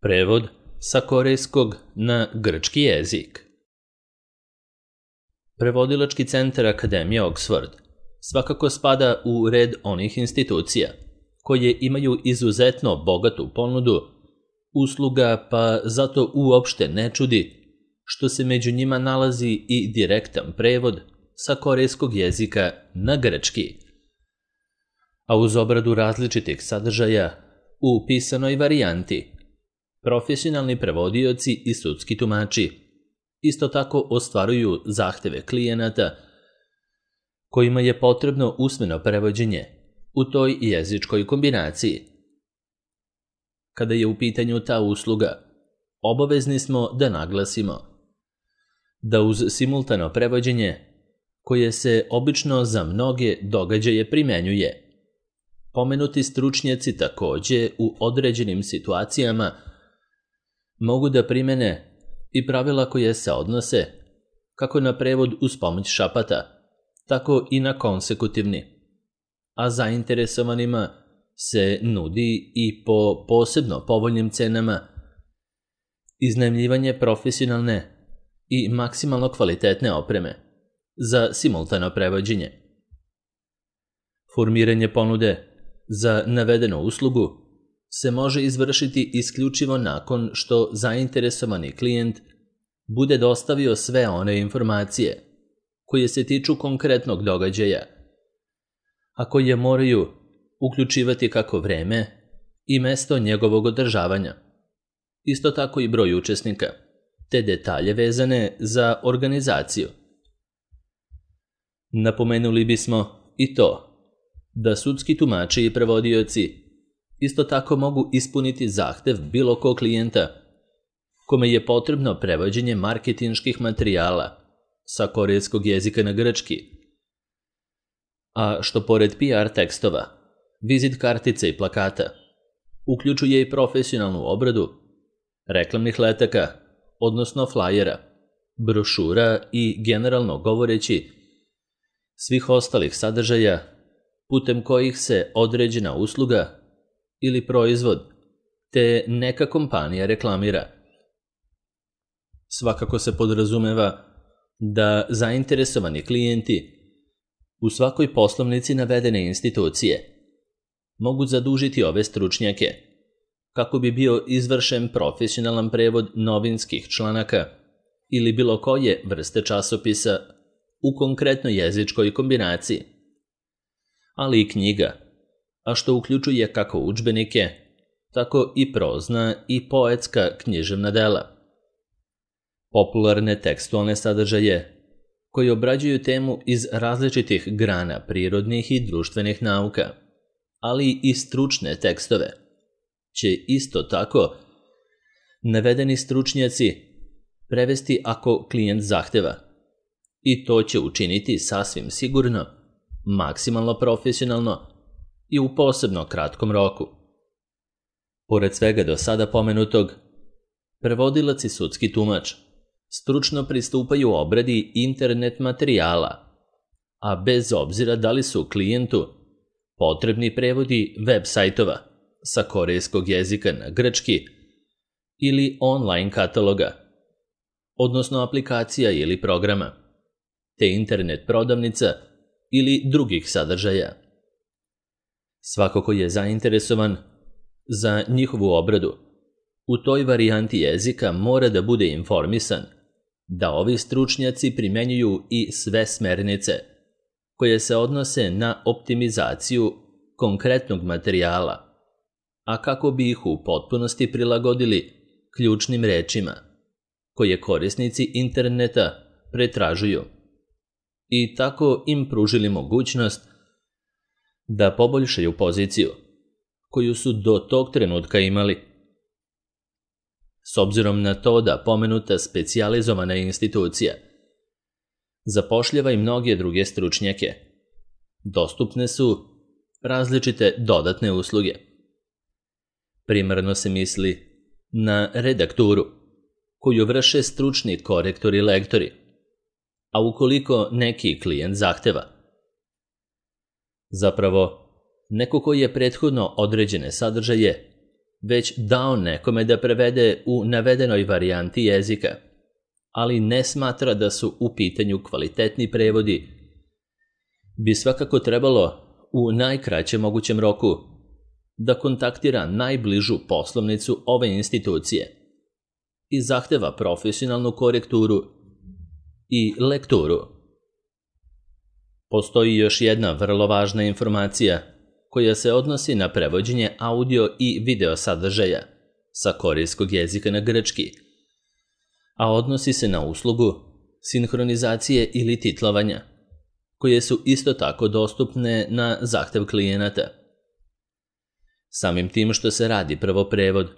Prevod sa korejskog na grčki jezik. Prevodilački centar Akademije Oxford svakako spada u red onih institucija koje imaju izuzetno bogatu ponudu usluga, pa zato uopšte ne čudi što se među njima nalazi i direktan prevod sa korejskog jezika na grčki. A uz obradu različitih sadržaja u pisanoj varijanti, profesionalni prevodioci i sudski tumači isto tako ostvaruju zahteve klijenata kojima je potrebno usmeno prevođenje u toj jezičkoj kombinaciji. Kada je u pitanju ta usluga, obavezni smo da naglasimo da uz simultano prevođenje, koje se obično za mnoge događaje primenjuje, pomenuti stručnjaci takođe u određenim situacijama mogu da primene i pravila koje se odnose kako na prevod uz pomoć šapata, tako i na konsekutivni, a zainteresovanima se nudi i po posebno povoljnim cenama iznajmljivanje profesionalne i maksimalno kvalitetne opreme za simultano prevođenje. Formiranje ponude za navedenu uslugu se može izvršiti isključivo nakon što zainteresovani klijent bude dostavio sve one informacije koje se tiču konkretnog događaja, a koje moraju uključivati kako vreme i mesto njegovog održavanja, isto tako i broj učesnika, te detalje vezane za organizaciju. Napomenuli bismo i to da sudski tumači i prevodioci isto tako mogu ispuniti zahtev bilo kog klijenta kome je potrebno prevođenje marketinških materijala sa korejskog jezika na grčki, a što pored PR tekstova, vizit kartice i plakata, uključuje i profesionalnu obradu reklamnih letaka, odnosno flajera, brošura i generalno govoreći svih ostalih sadržaja putem kojih se određena usluga ili proizvod te neka kompanija reklamira. Svakako se podrazumeva da zainteresovani klijenti u svakoj poslovnici navedene institucije mogu zadužiti ove stručnjake kako bi bio izvršen profesionalan prevod novinskih članaka ili bilo koje vrste časopisa u konkretnoj jezičkoj kombinaciji, ali i knjiga, a što uključuje kako udžbenike, tako i prozna i poetska književna dela. Popularne tekstualne sadržaje koji obrađuju temu iz različitih grana prirodnih i društvenih nauka, ali i stručne tekstove, će isto tako navedeni stručnjaci prevesti ako klijent zahteva, i to će učiniti sasvim sigurno, maksimalno profesionalno i u posebno kratkom roku. Pored svega do sada pomenutog, prevodilac i sudski tumač stručno pristupaju obradi internet materijala, a bez obzira da li su klijentu potrebni prevodi web sajtova sa korejskog jezika na grčki ili online kataloga, odnosno aplikacija ili programa, te internet prodavnica ili drugih sadržaja. Svako ko je zainteresovan za njihovu obradu u toj varijanti jezika mora da bude informisan da ovi stručnjaci primenjuju i sve smernice koje se odnose na optimizaciju konkretnog materijala, a kako bi ih u potpunosti prilagodili ključnim rečima koje korisnici interneta pretražuju i tako im pružili mogućnost da poboljšaju poziciju koju su do tog trenutka imali. S obzirom na to da pomenuta specijalizovana institucija zapošljava i mnoge druge stručnjake, dostupne su različite dodatne usluge. Primarno se misli na redakturu, koju vrše stručni korektori i lektori, a ukoliko neki klijent zahteva. Zapravo, neko ko je prethodno određene sadržaje već dao nekome da prevede u navedenoj varijanti jezika, ali ne smatra da su u pitanju kvalitetni prevodi, bi svakako trebalo u najkraćem mogućem roku da kontaktira najbližu poslovnicu ove institucije i zahteva profesionalnu korekturu i lekturu. Postoji još jedna vrlo važna informacija koja se odnosi na prevođenje audio i video sadržaja sa korejskog jezika na grčki, a odnosi se na uslugu sinhronizacije ili titlovanja, koje su isto tako dostupne na zahtev klijenata. Samim tim što se radi prvo prevod,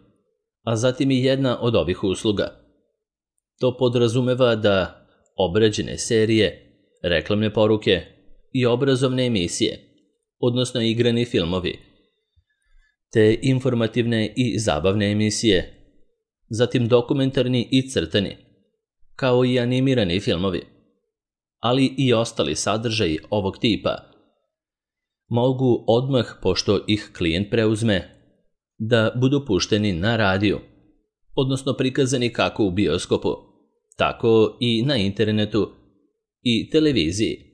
a zatim i jedna od ovih usluga. To podrazumeva da obrađene serije, reklamne poruke i obrazovne emisije, odnosno igrani filmovi, te informativne i zabavne emisije, zatim dokumentarni i crtani, kao i animirani filmovi, ali i ostali sadržaji ovog tipa, mogu odmah, pošto ih klijent preuzme, da budu pušteni na radiju, odnosno prikazani kako u bioskopu, tako i na internetu i televiziji.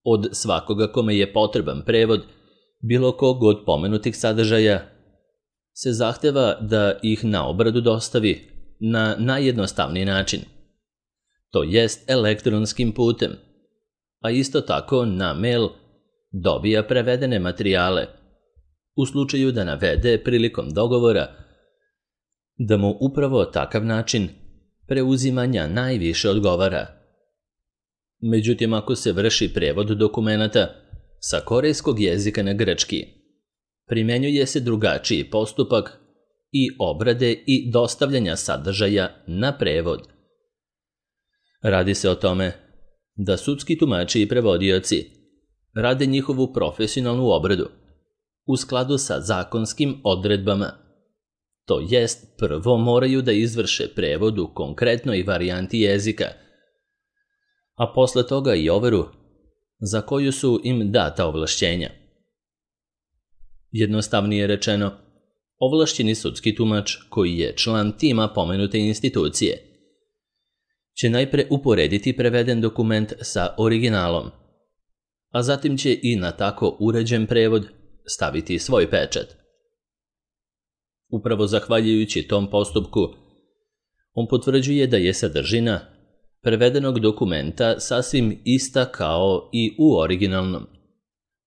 Od svakoga kome je potreban prevod bilo kog od pomenutih sadržaja se zahteva da ih na obradu dostavi na najjednostavniji način, to jest elektronskim putem, a isto tako na mail dobija prevedene materijale, u slučaju da navede prilikom dogovora da mu upravo takav način preuzimanja najviše odgovara. Međutim, ako se vrši prevod dokumenata sa korejskog jezika na grčki, primenjuje se drugačiji postupak i obrade i dostavljanja sadržaja na prevod. Radi se o tome da sudski tumači i prevodioci rade njihovu profesionalnu obradu u skladu sa zakonskim odredbama. To jest, prvo moraju da izvrše prevod u konkretnoj varijanti jezika, a posle toga i overu za koju su im data ovlašćenja. Jednostavnije rečeno, ovlašćeni sudski tumač, koji je član tima pomenute institucije, će najpre uporediti preveden dokument sa originalom, a zatim će i na tako uređen prevod staviti svoj pečat. Upravo zahvaljujući tom postupku, on potvrđuje da je sadržina prevedenog dokumenta sasvim ista kao i u originalnom,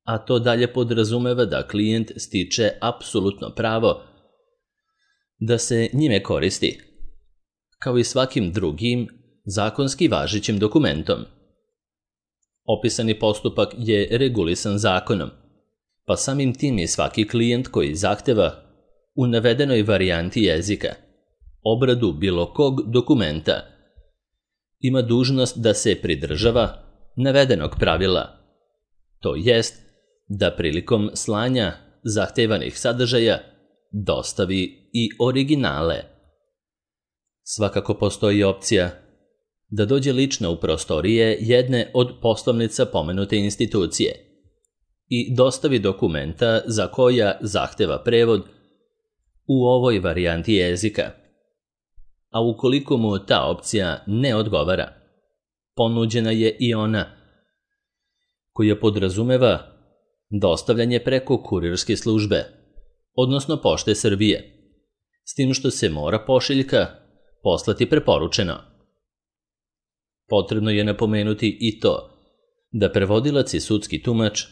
a to dalje podrazumeva da klijent stiče apsolutno pravo da se njime koristi, kao i svakim drugim zakonski važećim dokumentom. Opisani postupak je regulisan zakonom, pa samim tim i svaki klijent koji zahteva u navedenoj varijanti jezika obradu bilo kog dokumenta ima dužnost da se pridržava navedenog pravila, to jest da prilikom slanja zahtevanih sadržaja dostavi i originale. Svakako postoji opcija da dođe lično u prostorije jedne od poslovnica pomenute institucije i dostavi dokumenta za koja zahteva prevod u ovoj varijanti jezika. A ukoliko mu ta opcija ne odgovara, ponuđena je i ona koja podrazumeva dostavljanje preko kurirske službe, odnosno Pošte Srbije, s tim što se mora pošiljka poslati preporučeno. Potrebno je napomenuti i to da prevodilac i sudski tumač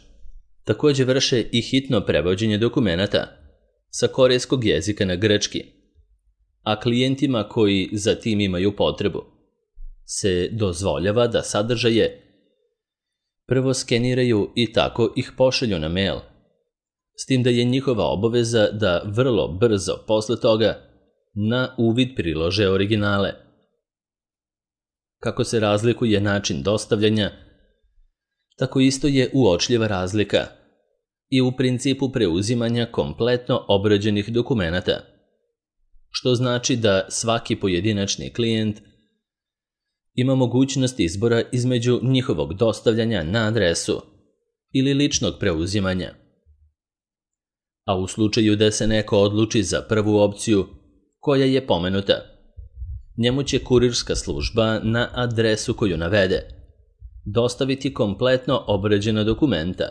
također vrše i hitno prevođenje dokumenata sa korejskog jezika na grčki, a klijentima koji za tim imaju potrebu se dozvoljava da sadržaje prvo skeniraju i tako ih pošalju na mail, s tim da je njihova obaveza da vrlo brzo posle toga na uvid prilože originale. Kako se razlikuje način dostavljanja, tako isto je uočljiva razlika i u principu preuzimanja kompletno obrađenih dokumenata, što znači da svaki pojedinačni klijent ima mogućnost izbora između njihovog dostavljanja na adresu ili ličnog preuzimanja. a u slučaju da se neko odluči za prvu opciju, koja je pomenuta, njemu će kurirska služba na adresu koju navede dostaviti kompletno obrađena dokumenta.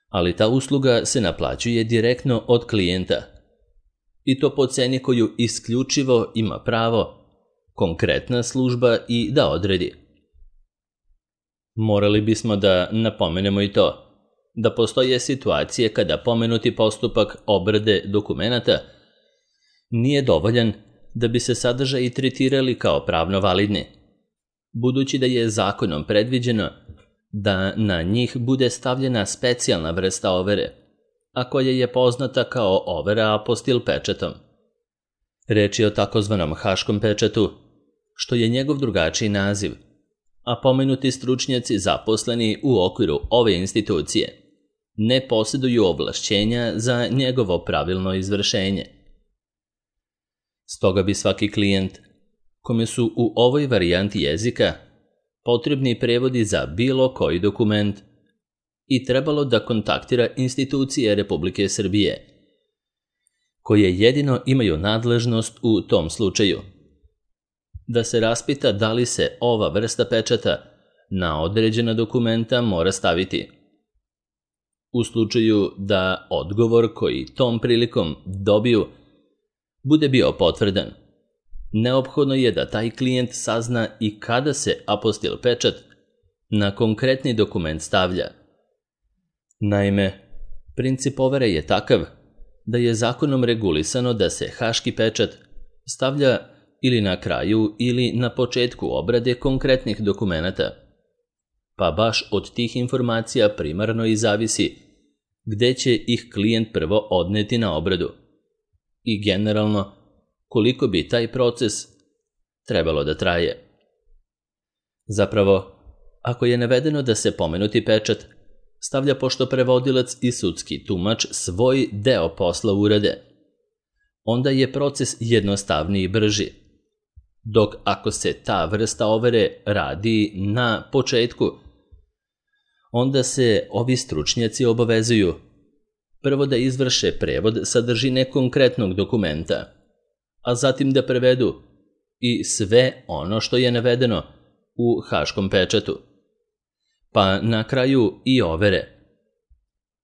Ali ta usluga se naplaćuje direktno od klijenta i to po ceni koju isključivo ima pravo konkretna služba i da odredi. Morali bismo da napomenemo i to da postoje situacije kada pomenuti postupak obrade dokumenata nije dovoljan da bi se sadržaji tretirali kao pravno validni, budući da je zakonom predviđeno da na njih bude stavljena specijalna vrsta overe, a koja je poznata kao overa apostil pečatom. Reč je o takozvanom haškom pečatu, što je njegov drugačiji naziv, a pomenuti stručnjaci zaposleni u okviru ove institucije ne posjeduju ovlašćenja za njegovo pravilno izvršenje. Stoga bi svaki klijent, kome su u ovoj varijanti jezika potrebni prevodi za bilo koji dokument, i trebalo da kontaktira institucije Republike Srbije, koje jedino imaju nadležnost u tom slučaju, da se raspita da li se ova vrsta pečata na određena dokumenta mora staviti. U slučaju da odgovor koji tom prilikom dobiju bude bio potvrdan, neophodno je da taj klijent sazna i kada se apostil pečat na konkretni dokument stavlja. Naime, princip overe je takav da je zakonom regulisano da se haški pečat stavlja ili na kraju ili na početku obrade konkretnih dokumenata, pa baš od tih informacija primarno i zavisi gde će ih klijent prvo odneti na obradu i generalno koliko bi taj proces trebalo da traje. Zapravo, ako je navedeno da se pomenuti pečat stavlja pošto prevodilac i sudski tumač svoj deo posla urade, onda je proces jednostavniji i brži, dok ako se ta vrsta overe radi na početku, onda se ovi stručnjaci obavezuju prvo da izvrše prevod sadržine konkretnog dokumenta, a zatim da prevedu i sve ono što je navedeno u haškom pečatu, pa na kraju i overe,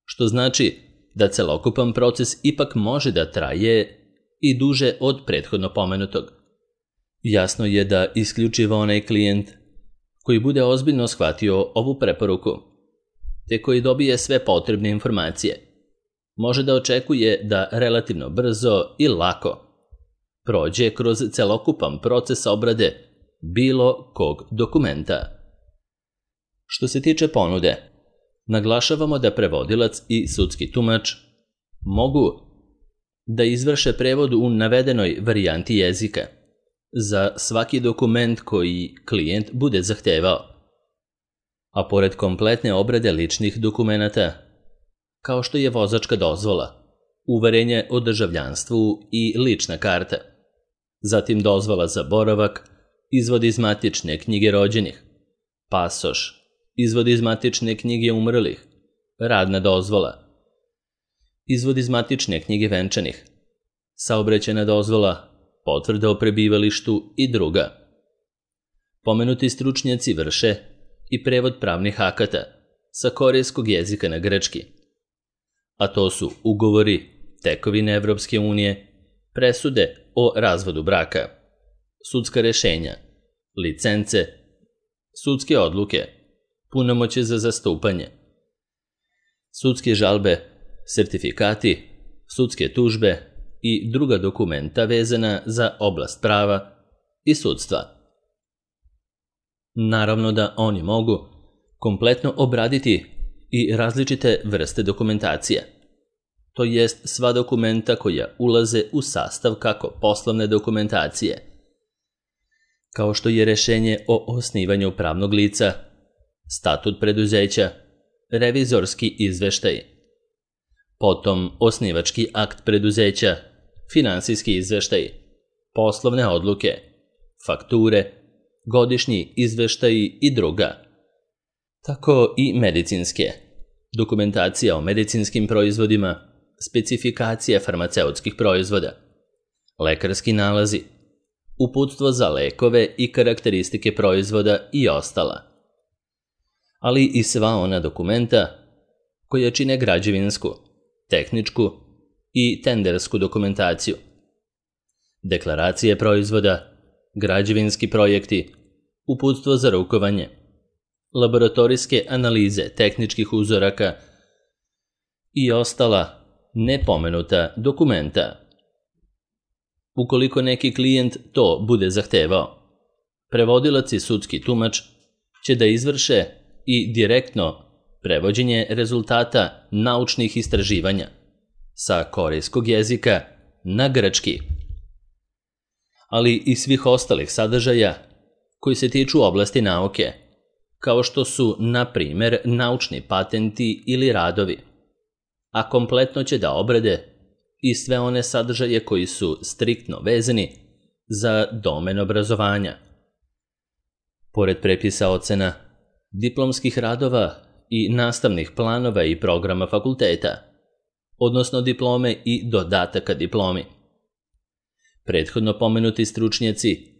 što znači da celokupan proces ipak može da traje i duže od prethodno pomenutog. Jasno je da isključivo onaj klijent koji bude ozbiljno shvatio ovu preporuku, te koji dobije sve potrebne informacije, može da očekuje da relativno brzo i lako prođe kroz celokupan proces obrade bilo kog dokumenta. Što se tiče ponude, naglašavamo da prevodilac i sudski tumač mogu da izvrše prevod u navedenoj varijanti jezika za svaki dokument koji klijent bude zahtevao, a pored kompletne obrade ličnih dokumenata, kao što je vozačka dozvola, uverenje o državljanstvu i lična karta, zatim dozvola za boravak, izvod iz matične knjige rođenih, pasoš, izvod iz matične knjige umrlih, radna dozvola, izvod iz matične knjige venčanih, saobraćajna dozvola, potvrda o prebivalištu i druga. Pomenuti stručnjaci vrše i prevod pravnih akata sa korejskog jezika na grčki, a to su ugovori, tekovine Evropske unije, presude o razvodu braka, sudska rešenja, licence, sudske odluke, punomoćje za zastupanje, sudske žalbe, sertifikati, sudske tužbe i druga dokumenta vezana za oblast prava i sudstva. Naravno da oni mogu kompletno obraditi i različite vrste dokumentacije, to jest sva dokumenta koja ulaze u sastav kako poslovne dokumentacije, kao što je rešenje o osnivanju pravnog lica, statut preduzeća, revizorski izveštaj, potom osnivački akt preduzeća, finansijski izveštaj, poslovne odluke, fakture, godišnji izveštaji i druga. Tako i medicinske, dokumentacija o medicinskim proizvodima, specifikacije farmaceutskih proizvoda, lekarski nalazi, uputstvo za lekove i karakteristike proizvoda i ostala, ali i sva ona dokumenta koja čine građevinsku, tehničku i tendersku dokumentaciju, deklaracije proizvoda, građevinski projekti, uputstvo za rukovanje, laboratorijske analize tehničkih uzoraka i ostala nepomenuta dokumenta. Ukoliko neki klijent to bude zahtevao, prevodilac i sudski tumač će da izvrše i direktno prevođenje rezultata naučnih istraživanja sa korejskog jezika na grčki, ali i svih ostalih sadržaja koji se tiču oblasti nauke, kao što su, na primjer, naučni patenti ili radovi, a kompletno će da obrade i sve one sadržaje koji su striktno vezani za domen obrazovanja. Pored prepisa ocena, diplomskih radova i nastavnih planova i programa fakulteta, odnosno diplome i dodataka diplomi. Prethodno pomenuti stručnjaci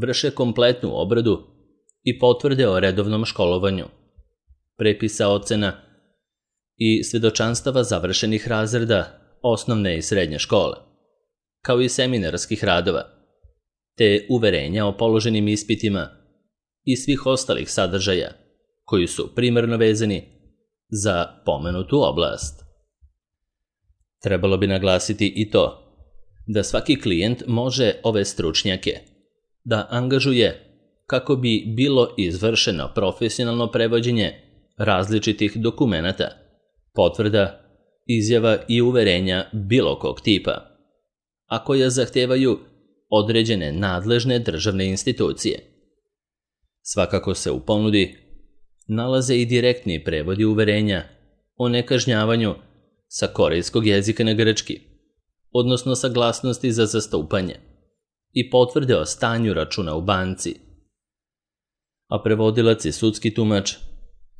vrše kompletnu obradu i potvrde o redovnom školovanju, prepisa ocena i svedočanstava završenih razreda osnovne i srednje škole, kao i seminarskih radova, te uverenja o položenim ispitima i svih ostalih sadržaja koji su primarno vezani za pomenutu oblast. Trebalo bi naglasiti i to da svaki klijent može ove stručnjake da angažuje kako bi bilo izvršeno profesionalno prevođenje različitih dokumenata, potvrda, izjava i uverenja bilo kog tipa, a koja zahtevaju određene nadležne državne institucije. Svakako se u ponudi nalaze i direktni prevodi uverenja o nekažnjavanju sa korejskog jezika na grčki, odnosno saglasnosti za zastupanje i potvrde o stanju računa u banci. A prevodilac i sudski tumač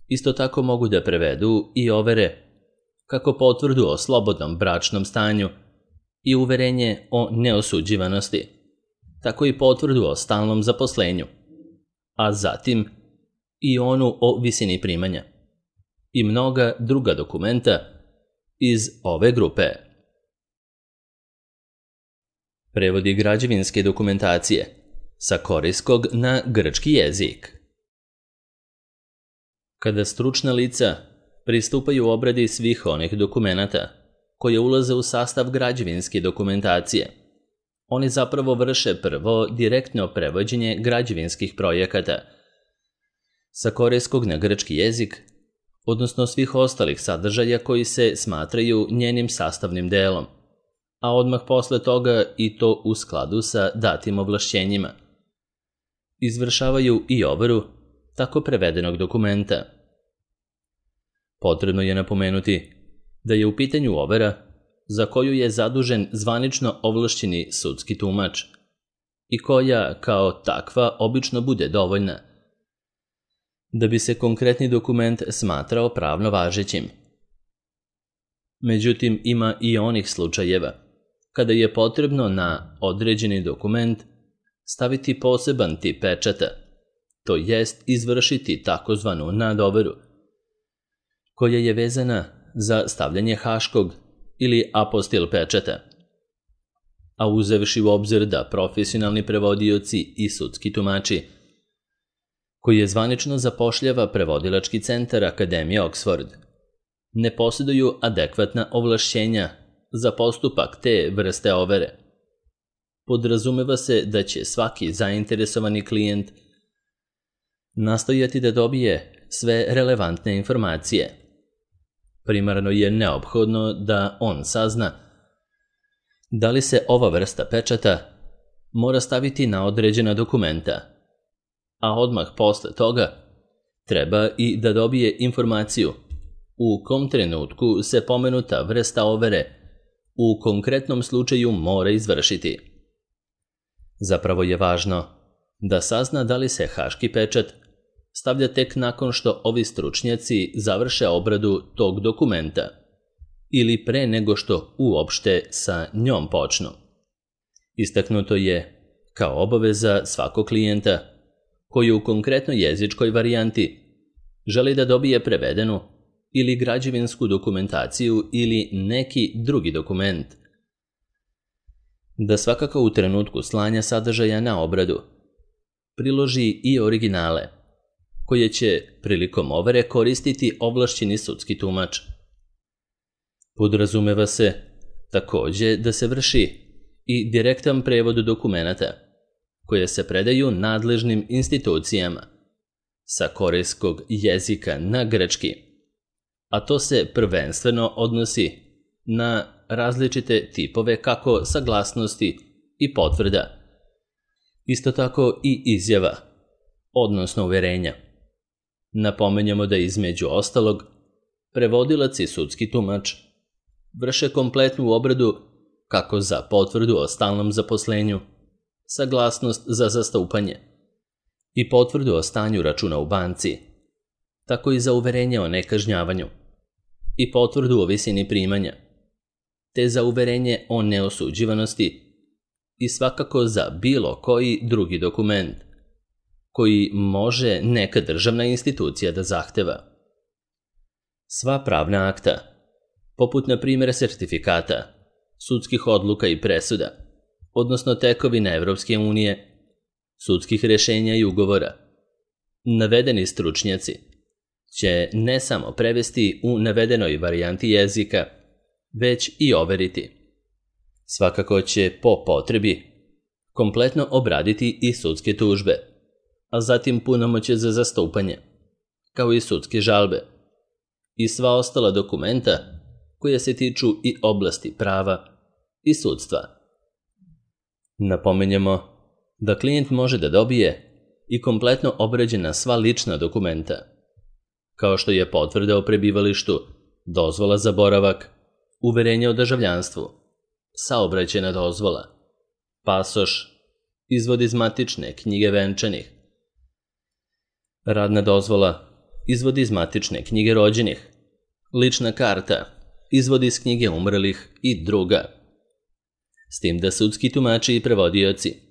isto tako mogu da prevedu i overe kako potvrdu o slobodnom bračnom stanju i uverenje o neosuđivanosti, tako i potvrdu o stalnom zaposlenju, a zatim i onu o visini primanja i mnoga druga dokumenta iz ove grupe. Prevodi građevinske dokumentacije sa korejskog na grčki jezik. Kada stručna lica pristupaju obradi svih onih dokumenata koje ulaze u sastav građevinske dokumentacije, oni zapravo vrše prvo direktno prevođenje građevinskih projekata sa korejskog na grčki jezik, odnosno svih ostalih sadržaja koji se smatraju njenim sastavnim delom, a odmah posle toga i to u skladu sa datim ovlašćenjima. Izvršavaju i overu tako prevedenog dokumenta. Potrebno je napomenuti da je u pitanju overa za koju je zadužen zvanično ovlašćeni sudski tumač i koja kao takva obično bude dovoljna da bi se konkretni dokument smatrao pravno važećim. Međutim, ima i onih slučajeva kada je potrebno na određeni dokument staviti poseban tip pečata, to jest izvršiti takozvanu nadoveru, koja je vezana za stavljanje haškog ili apostil pečata. A uzevši u obzir da profesionalni prevodioci i sudski tumači, koji je zvanično zapošljava prevodilački centar Akademije Oxford, ne posjeduju adekvatna ovlašćenja za postupak te vrste overe. Podrazumeva se da će svaki zainteresovani klijent nastojati da dobije sve relevantne informacije. Primarno je neophodno da on sazna da li se ova vrsta pečata mora staviti na određena dokumenta, a odmah posle toga treba i da dobije informaciju u kom trenutku se pomenuta vrsta overe u konkretnom slučaju mora izvršiti. Zapravo je važno da sazna da li se haški pečat stavlja tek nakon što ovi stručnjaci završe obradu tog dokumenta ili pre nego što uopšte sa njom počnu. Istaknuto je kao obaveza svakog klijenta koji u konkretnoj jezičkoj varijanti želi da dobije prevedenu ili građevinsku dokumentaciju ili neki drugi dokument, da svakako u trenutku slanja sadržaja na obradu priloži i originale, koje će prilikom overe koristiti ovlašćeni sudski tumač. Podrazumeva se takođe da se vrši i direktan prevod dokumenata koje se predaju nadležnim institucijama sa korejskog jezika na grčki, a to se prvenstveno odnosi na različite tipove kako saglasnosti i potvrda, isto tako i izjava, odnosno uverenja. Napomenjamo da između ostalog prevodilac i sudski tumač vrše kompletnu obradu kako za potvrdu o stalnom zaposlenju, saglasnost za zastupanje i potvrdu o stanju računa u banci, tako i za uverenje o nekažnjavanju i potvrdu o visini primanja, te za uverenje o neosuđivanosti i svakako za bilo koji drugi dokument koji može neka državna institucija da zahteva. Sva pravna akta, poput na primjer sertifikata, sudskih odluka i presuda, odnosno tekovina Evropske unije, sudskih rešenja i ugovora, navedeni stručnjaci će ne samo prevesti u navedenoj varijanti jezika, već i overiti. Svakako će po potrebi kompletno obraditi i sudske tužbe, a zatim punomoćje za zastupanje, kao i sudske žalbe i sva ostala dokumenta koje se tiču i oblasti prava i sudstva. Napomenjamo da klijent može da dobije i kompletno obrađena sva lična dokumenta, kao što je potvrda o prebivalištu, dozvola za boravak, uverenje o državljanstvu, saobraćajna dozvola, pasoš, izvod iz matične knjige venčanih, radna dozvola, izvod iz matične knjige rođenih, lična karta, izvod iz knjige umrlih i druga. S tim da sudski tumači i prevodioci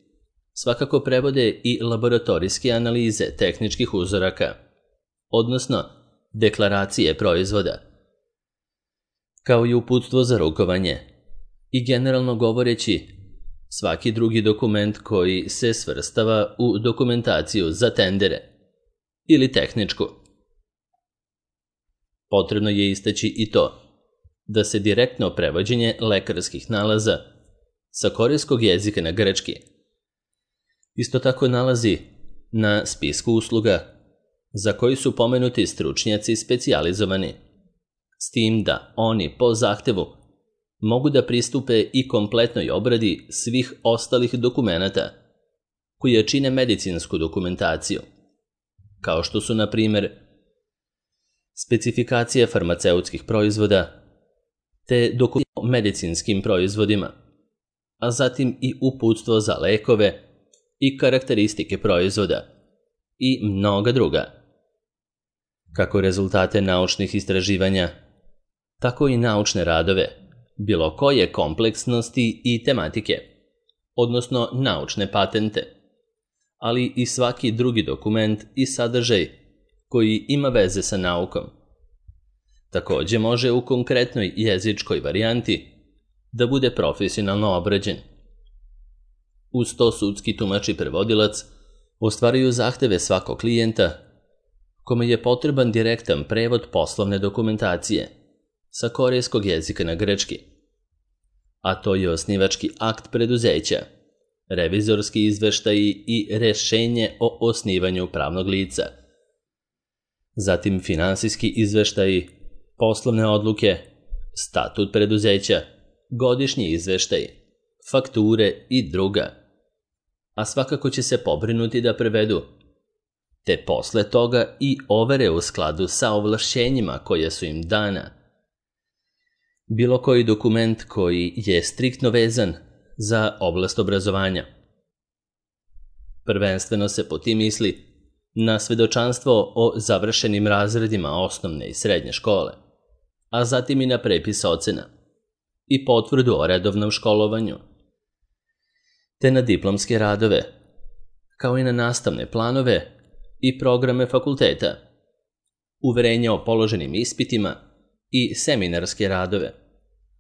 svakako prevode i laboratorijske analize tehničkih uzoraka, odnosno deklaracije proizvoda, kao i uputstvo za rukovanje i generalno govoreći svaki drugi dokument koji se svrstava u dokumentaciju za tendere ili tehničku. Potrebno je istaći i to da se direktno prevođenje lekarskih nalaza sa korejskog jezika na grčki isto tako nalazi na spisku usluga za koji su pomenuti stručnjaci specijalizovani, s tim da oni po zahtevu mogu da pristupe i kompletnoj obradi svih ostalih dokumenata koji čine medicinsku dokumentaciju, kao što su, na primjer, specifikacije farmaceutskih proizvoda te dokumenti o medicinskim proizvodima, a zatim i uputstvo za lekove i karakteristike proizvoda i mnoga druga. Kako rezultate naučnih istraživanja, tako i naučne radove, bilo koje kompleksnosti i tematike, odnosno naučne patente, ali i svaki drugi dokument i sadržaj koji ima veze sa naukom. Takođe može u konkretnoj jezičkoj varijanti da bude profesionalno obrađen. Uz to sudski tumač i prevodilac ostvaruju zahteve svakog klijenta kome je potreban direktan prevod poslovne dokumentacije sa korejskog jezika na grčki, a to je osnivački akt preduzeća, revizorski izveštaji i rešenje o osnivanju pravnog lica, zatim finansijski izveštaji, poslovne odluke, statut preduzeća, godišnji izveštaj, fakture i druga, a svakako će se pobrinuti da prevedu, te posle toga i overe u skladu sa ovlašćenjima koja su im dana, bilo koji dokument koji je striktno vezan za oblast obrazovanja. Prvenstveno se po tim misli na svedočanstvo o završenim razredima osnovne i srednje škole, a zatim i na prepis ocena i potvrdu o redovnom školovanju, te na diplomske radove, kao i na nastavne planove i programe fakulteta, uverenja o položenim ispitima i seminarske radove,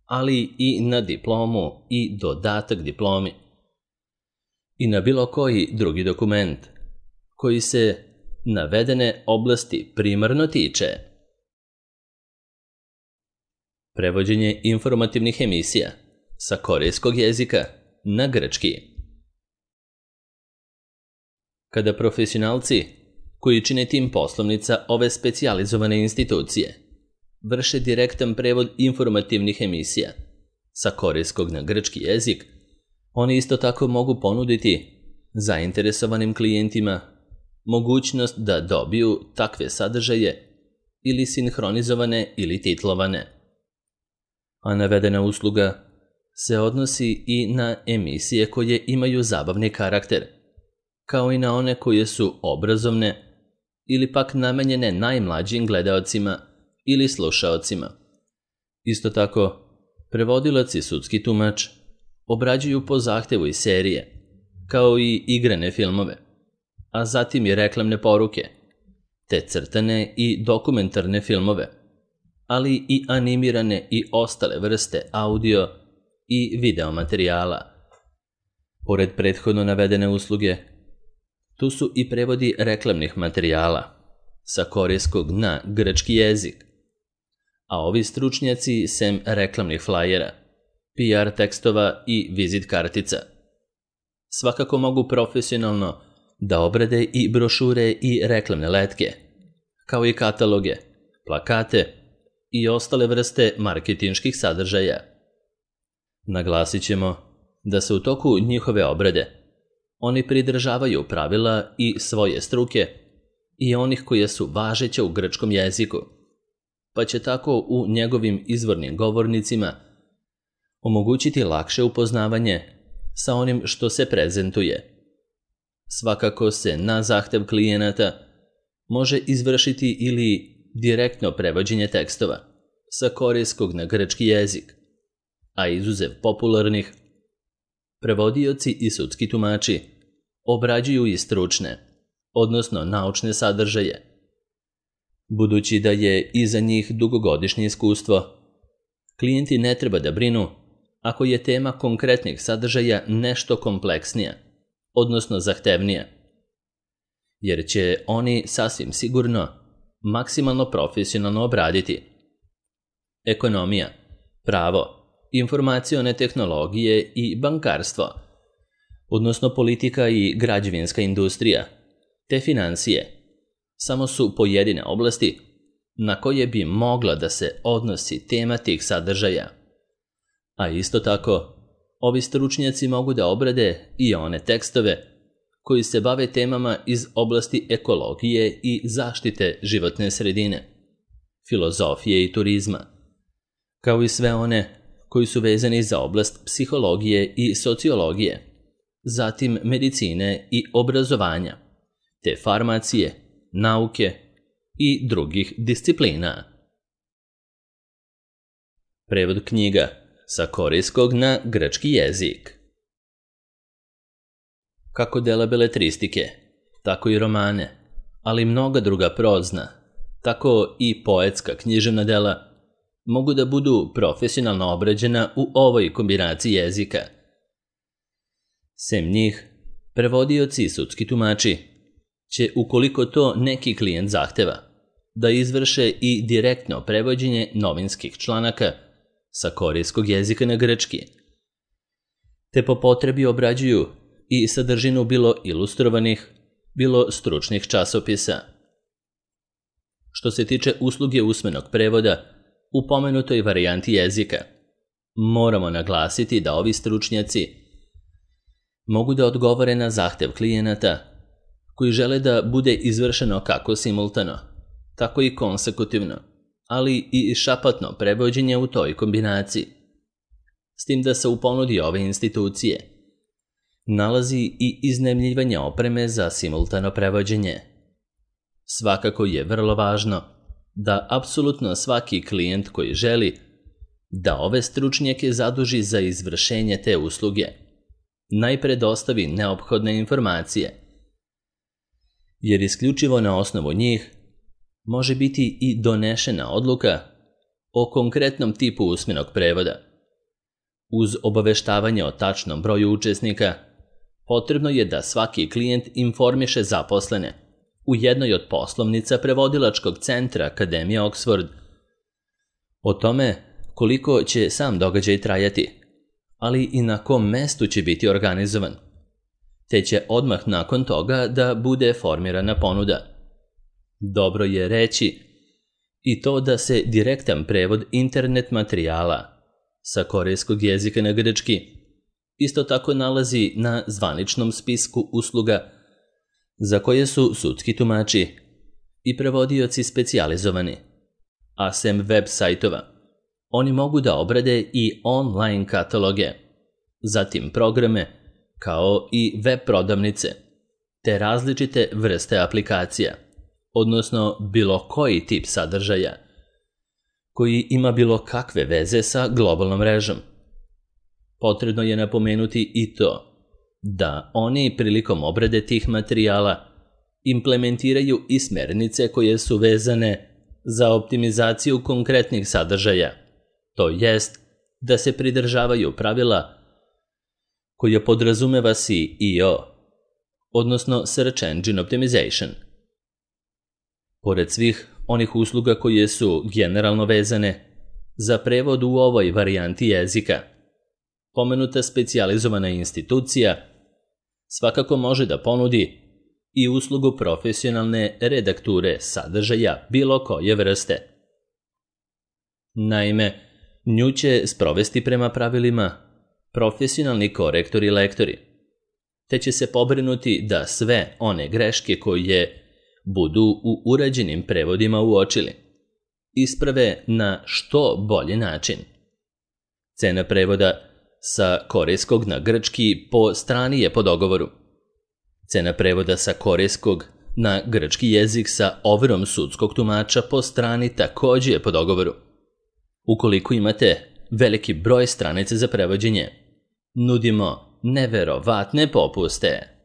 ali i na diplomu i dodatak diplomi i na bilo koji drugi dokument koji se navedene oblasti primarno tiče. Prevođenje informativnih emisija sa korejskog jezika na grčki. Kada profesionalci koji čine tim poslovnica ove specijalizovane institucije vrše direktan prevod informativnih emisija sa korejskog na grčki jezik, oni isto tako mogu ponuditi zainteresovanim klijentima mogućnost da dobiju takve sadržaje ili sinhronizovane ili titlovane. A navedena usluga se odnosi i na emisije koje imaju zabavni karakter, kao i na one koje su obrazovne ili pak namenjene najmlađim gledaocima ili slušaocima. Isto tako, prevodilac i sudski tumač obrađuju po zahtevu iz serije, kao i igrane filmove, a zatim i reklamne poruke, te crtane i dokumentarne filmove, ali i animirane i ostale vrste audio i video materijala. Pored prethodno navedene usluge, tu su i prevodi reklamnih materijala sa korejskog na grčki jezik, a ovi stručnjaci sem reklamnih flajera, PR tekstova i vizit kartica svakako mogu profesionalno da obrade i brošure i reklamne letke, kao i kataloge, plakate i ostale vrste marketinških sadržaja. Naglasit ćemo da se u toku njihove obrade oni pridržavaju pravila i svoje struke i onih koje su važeće u grčkom jeziku, pa će tako u njegovim izvornim govornicima omogućiti lakše upoznavanje sa onim što se prezentuje. Svakako se na zahtev klijenata može izvršiti ili direktno prevođenje tekstova sa korejskog na grčki jezik, a izuzev popularnih, prevodioci i sudski tumači obrađuju i stručne, odnosno naučne sadržaje. Budući da je iza njih dugogodišnje iskustvo, klijenti ne treba da brinu ako je tema konkretnih sadržaja nešto kompleksnija, odnosno zahtevnija, jer će oni sasvim sigurno maksimalno profesionalno obraditi. Ekonomija, pravo, informacione tehnologije i bankarstvo, odnosno politika i građevinska industrija, te financije, samo su pojedine oblasti na koje bi mogla da se odnosi tema tih sadržaja. A isto tako, ovi stručnjaci mogu da obrade i one tekstove koji se bave temama iz oblasti ekologije i zaštite životne sredine, filozofije i turizma, kao i sve one koji su vezani za oblast psihologije i sociologije, zatim medicine i obrazovanja, te farmacije, nauke i drugih disciplina. Prevod knjiga sa korejskog na grčki jezik. Kako dela beletristike, tako i romane, ali mnoga druga prozna, tako i poetska književna dela mogu da budu profesionalno obrađena u ovoj kombinaciji jezika. Sem njih, prevodioci i sudski tumači će, ukoliko to neki klijent zahteva, da izvrše i direktno prevođenje novinskih članaka sa korejskog jezika na grčki, te po potrebi obrađuju i sadržinu bilo ilustrovanih, bilo stručnih časopisa. Što se tiče usluge usmenog prevoda u pomenutoj varijanti jezika, moramo naglasiti da ovi stručnjaci mogu da odgovore na zahtev klijenata koji žele da bude izvršeno kako simultano, tako i konsekutivno, ali i šapatno prevođenje u toj kombinaciji. S tim da se u ponudi ove institucije nalazi i iznajmljivanje opreme za simultano prevođenje. Svakako je vrlo važno da apsolutno svaki klijent koji želi da ove stručnjake zaduži za izvršenje te usluge najpre dostavi neophodne informacije, jer isključivo na osnovu njih može biti i donešena odluka o konkretnom tipu usmenog prevoda. Uz obaveštavanje o tačnom broju učesnika, potrebno je da svaki klijent informiše zaposlene u jednoj od poslovnica prevodilačkog centra Akademije Oxford o tome koliko će sam događaj trajati, ali i na kom mestu će biti organizovan, te će odmah nakon toga da bude formirana ponuda. Dobro je reći i to da se direktan prevod internet materijala sa korejskog jezika na grčki isto tako nalazi na zvaničnom spisku usluga za koje su sudski tumači i prevodioci specijalizovani, a sem web sajtova oni mogu da obrade i online kataloge, zatim programe kao i web prodavnice, te različite vrste aplikacija, odnosno bilo koji tip sadržaja koji ima bilo kakve veze sa globalnom mrežom. Potrebno je napomenuti i to da oni prilikom obrade tih materijala implementiraju i smernice koje su vezane za optimizaciju konkretnih sadržaja, to jest da se pridržavaju pravila koje podrazumeva SEO, odnosno Search Engine Optimization. Pored svih onih usluga koje su generalno vezane za prevod u ovoj varijanti jezika, pomenuta specijalizovana institucija svakako može da ponudi i uslugu profesionalne redakture sadržaja bilo koje vrste. Naime, nju će sprovesti prema pravilima profesionalni korektori i lektori, te će se pobrinuti da sve one greške koje budu u urađenim prevodima uočili isprave na što bolji način. Cena prevoda sa korejskog na grčki po strani je po dogovoru. Cena prevoda sa korejskog na grčki jezik sa overom sudskog tumača po strani također je po dogovoru. Ukoliko imate veliki broj stranica za prevođenje, nudimo neverovatne popuste.